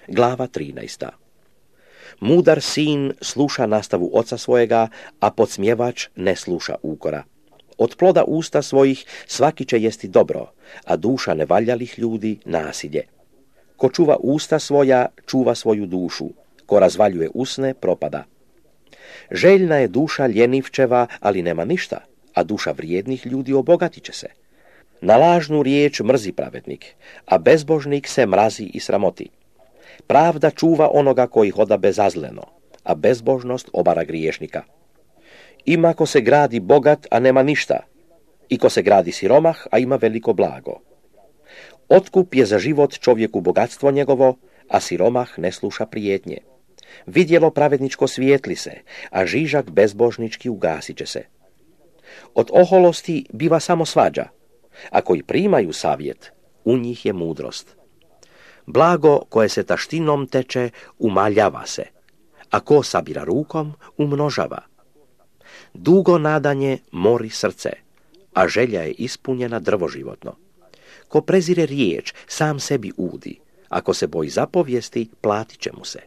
Glava 13. Mudar sin sluša nastavu oca svojega, a podsmjevač ne sluša ukora. Od ploda usta svojih svaki će jesti dobro, a duša nevaljalih ljudi nasilje. Ko čuva usta svoja, čuva svoju dušu. Ko razvaljuje usne, propada. Željna je duša ljenivčeva, ali nema ništa, a duša vrijednih ljudi obogatit će se. Na lažnu riječ mrzi pravednik, a bezbožnik se mrazi i sramoti. Pravda čuva onoga koji hoda bezazleno, a bezbožnost obara griješnika. Ima ko se gradi bogat, a nema ništa, i ko se gradi siromah, a ima veliko blago. Otkup je za život čovjeku bogatstvo njegovo, a siromah ne sluša prijetnje. Vidjelo pravedničko svijetli se, a žižak bezbožnički ugasit će se. Od oholosti biva samo svađa, a koji primaju savjet, u njih je mudrost. Blago koje se taštinom teče, umaljava se, a ko sabira rukom, umnožava. Dugo nadanje mori srce, a želja je ispunjena drvo životno. Ko prezire riječ, sam sebi udi, ako se boji zapovijesti, platit će mu se.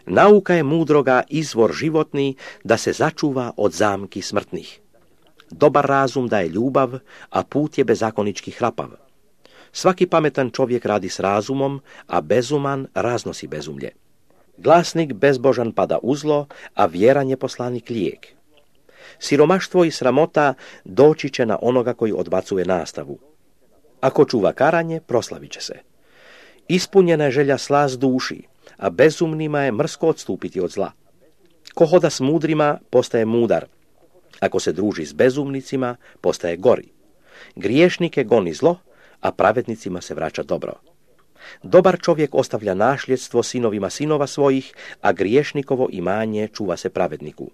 Nauka je mudroga izvor životni, da se začuva od zamki smrtnih. Dobar razum daje ljubav, a put je bezakonički hrapav. Svaki pametan čovjek radi s razumom, a bezuman raznosi bezumlje. Glasnik bezbožan pada u zlo, a vjeran je poslanik lijek. Siromaštvo i sramota doći će na onoga koji odbacuje nastavu. Ako čuva karanje, proslavit će se. Ispunjena je želja slast duši, a bezumnima je mrsko odstupiti od zla. Ko hoda s mudrima, postaje mudar. Ako se druži s bezumnicima, postaje gori. Griješnike goni zlo, a pravednicima se vraća dobro. Dobar čovjek ostavlja nasljedstvo sinovima sinova svojih, a griješnikovo imanje čuva se pravedniku.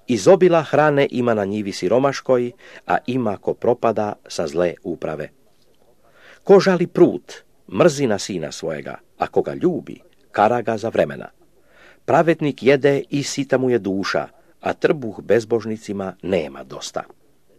Izobila hrane ima na njivi siromaškoj, a ima ko propada sa zle uprave. Ko žali prut, mrzi na sina svojega, a ko ga ljubi, kara ga za vremena. Pravednik jede i sita mu je duša, a trbuh bezbožnicima nema dosta.